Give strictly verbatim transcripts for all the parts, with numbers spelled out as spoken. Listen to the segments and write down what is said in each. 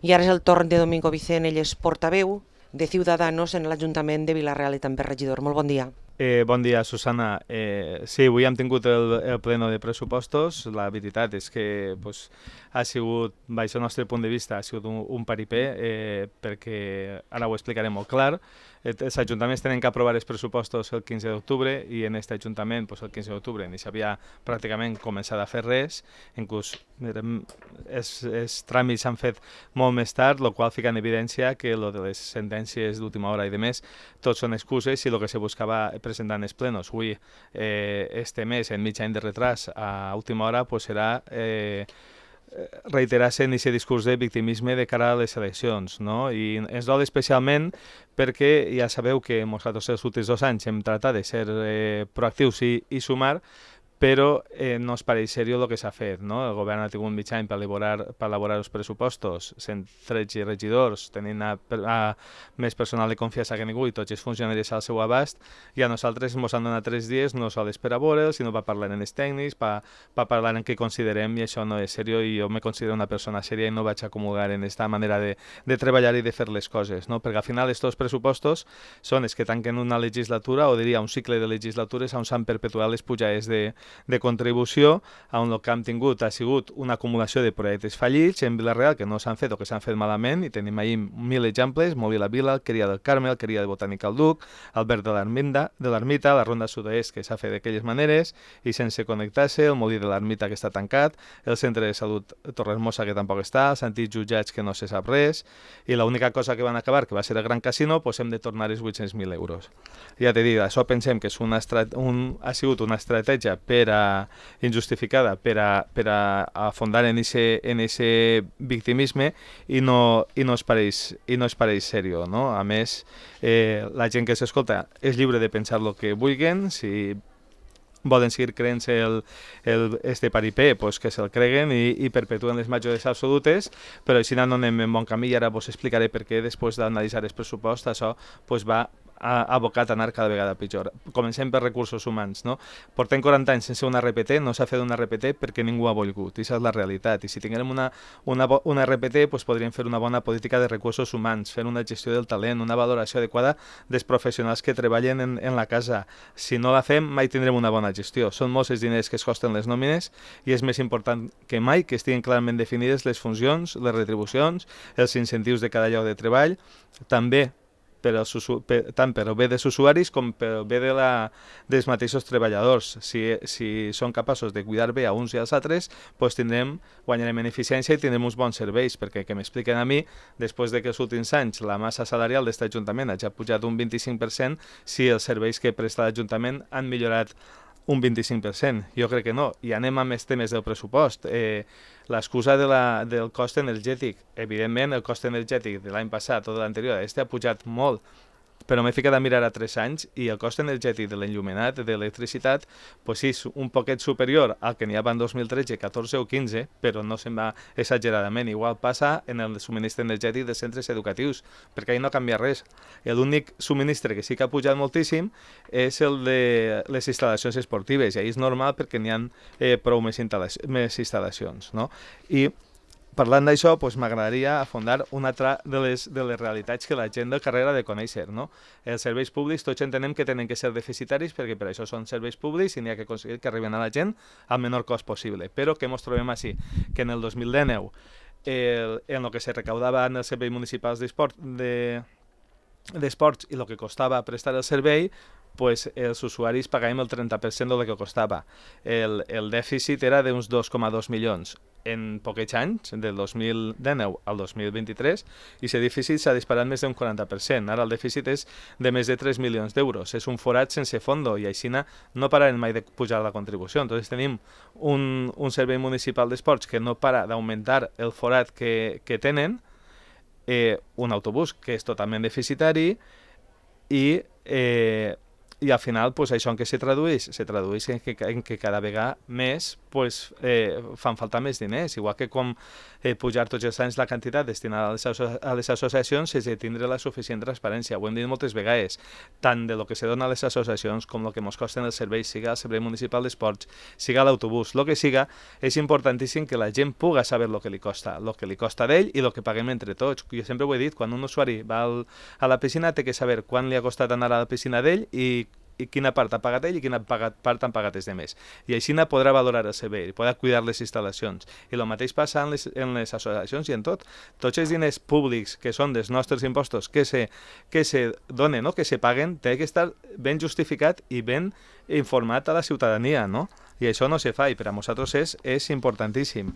I ara és el torn de Domingo Vicent, ell és portaveu de Ciudadanos en l'Ajuntament de Vila-real i també regidor. Molt bon dia. Eh, bon dia, Susana. Eh, sí, avui hem tingut el, el pleno de pressupostos. La veritat és que pues, ha sigut, baix el nostre punt de vista, ha sigut un, un paripé, eh, perquè ara ho explicaré molt clar. Eh, els ajuntaments tenen que aprovar els pressupostos el quinze d'octubre i en aquest ajuntament pues, el quinze d'octubre ni s'havia pràcticament començat a fer res. Inclús els, els tràmits s'han fet molt més tard, el qual fica en evidència que lo de les sentències d'última hora i de més tots són excuses i el que se buscava presentar en els plenos. Avui, eh, este mes, en mig any de retras, a última hora, pues, serà eh, reiterar-se en aquest discurs de victimisme de cara a les eleccions, no? I ens dol especialment perquè ja sabeu que nosaltres els últims dos anys hem tratat de ser eh, proactius i, i sumar, però eh, no es pareix seriós el que s'ha fet, no? El govern ha tingut mig any per elaborar, per elaborar els pressupostos, cent tretze regidors, tenint a, a més personal de confiança que ningú i tots els funcionaris al seu abast, i a nosaltres ens han donat tres dies no sols per a veure, sinó per parlar en els tècnics, per, per parlar en què considerem, i això no és seriós, i jo me considero una persona sèria i no vaig acomodar en aquesta manera de, de treballar i de fer les coses, no? Perquè al final estos pressupostos són els que tanquen una legislatura, o diria un cicle de legislatures on s'han perpetuat les pujades de de contribució, on el que hem tingut ha sigut una acumulació de projectes fallits en Vila-real que no s'han fet o que s'han fet malament, i tenim ahir mil exemples: Molí la Vila, Alqueria del Carme, Alqueria de Botànica al Duc, Albert de l'Ermita, la Ronda Sud-oest que s'ha fet d'aquelles maneres i sense connectar-se, el Molí de l'Ermita que està tancat, el Centre de Salut Torrehermosa que tampoc està, els antics jutjats que no se sap res, i l'única cosa que van acabar, que va ser el Gran Casino, pues hem de tornar els vuit-cents mil euros. Ja t'he dit, això pensem que és una un, ha sigut una estratègia per per a, injustificada per a, per a afondar en ese, en ese victimisme i no, i no es pareix, i no es pareix seriós, no? A més, eh, la gent que s'escolta és lliure de pensar el que vulguin. Si volen seguir creent-se el, el, este paripé, pues que se'l creguen i, i perpetuen les majories absolutes, però si no, no anem en bon camí, i ara vos explicaré per què després d'analitzar el pressupost això pues, va ha abocat a anar cada vegada pitjor. Comencem per recursos humans, no? Portem quaranta anys sense una R P T, no s'ha fet una R P T perquè ningú ha volgut, i això és la realitat. I si tinguem una, una, una R P T, pues podríem fer una bona política de recursos humans, fer una gestió del talent, una valoració adequada dels professionals que treballen en, en la casa. Si no la fem, mai tindrem una bona gestió. Són molts els diners que es costen les nòmines i és més important que mai que estiguin clarament definides les funcions, les retribucions, els incentius de cada lloc de treball, també per als, per, tant per al bé dels usuaris com per al bé de la, dels mateixos treballadors. Si, si són capaços de cuidar bé a uns i als altres, pues tindrem, guanyarem en eficiència i tindrem uns bons serveis, perquè que m'expliquen a mi, després de que els últims anys la massa salarial d'aquest ajuntament hagi pujat un vint-i-cinc per cent, si els serveis que presta l'Ajuntament han millorat un vint-i-cinc per cent. Jo crec que no. I anem a més temes del pressupost. Eh, L'excusa de la, del cost energètic. Evidentment, el cost energètic de l'any passat o de l'anterior, este ha pujat molt, però m'he ficat a mirar a tres anys i el cost energètic de l'enllumenat, de l'electricitat, pues és un poquet superior al que n'hi havia en dos mil tretze, catorze o quinze, però no se'n va exageradament. Igual passa en el subministre energètic dels centres educatius, perquè ahí no canvia res. L'únic subministre que sí que ha pujat moltíssim és el de les instal·lacions esportives, i ahí és normal perquè n'hi ha eh, prou més, instal·la més instal·lacions, no? I parlant d'això, pues, m'agradaria afondar una altra de les, de les realitats que la gent del carrer ha de conèixer, no? Els serveis públics tots entenem que tenen que ser deficitaris perquè per això són serveis públics i n'hi ha que aconseguir que arriben a la gent al menor cost possible. Però què ens trobem així? Que en el dos mil dinou, el, en el que se recaudava en els serveis municipals d'esports de, d'esports i el que costava prestar el servei, pues els usuaris pagàvem el trenta per cent del que costava. El, el dèficit era d'uns dos coma dos milions en poquets anys, del dos mil dinou al dos mil vint-i-tres, i aquest dèficit s'ha disparat més d'un quaranta per cent. Ara el dèficit és de més de tres milions d'euros. És un forat sense fondo i així no pararem mai de pujar la contribució. Entonces tenim un, un servei municipal d'esports que no para d'augmentar el forat que, que tenen, eh, un autobús que és totalment deficitari i eh, i al final pues, això en què se tradueix? Se tradueix en que, en que cada vegada més pues, eh, fan falta més diners, igual que com eh, pujar tots els anys la quantitat destinada a les, asso a les associacions és de tindre la suficient transparència. Ho hem dit moltes vegades, tant de lo que se dona a les associacions com el que ens costen els serveis, siga el servei municipal d'esports, siga l'autobús, el que siga, és importantíssim que la gent puga saber el que li costa, el que li costa d'ell i el que paguem entre tots. Jo sempre ho he dit, quan un usuari va al, a la piscina té que saber quan li ha costat anar a la piscina d'ell i, i quina part ha pagat ell i quina pagat, part han pagat els demés. I així podrà valorar el servei, podrà cuidar les instal·lacions. I el mateix passa en les, en les associacions i en tot. Tots els diners públics que són dels nostres impostos que se, que se donen o no, que se paguen, té que estar ben justificat i ben informat a la ciutadania, no? I això no se fa i per a nosaltres és, és importantíssim.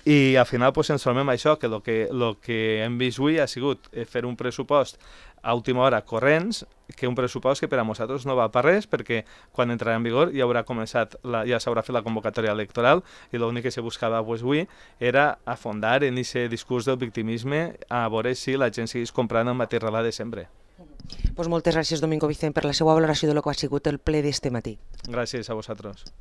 I al final pues, ens trobem això, que el que, lo que hem vist avui ha sigut fer un pressupost a última hora corrents, que un pressupost que per a nosaltres no va per res, perquè quan entrarà en vigor ja haurà començat, la, ja s'haurà fet la convocatòria electoral i l'únic que se buscava pues, avui era afondar en aquest discurs del victimisme a veure si la gent seguís comprant el mateix relat de sempre. Pues moltes gràcies, Domingo Vicent, per la seva valoració de lo que ha sigut el ple d'este matí. Gràcies a vosaltres.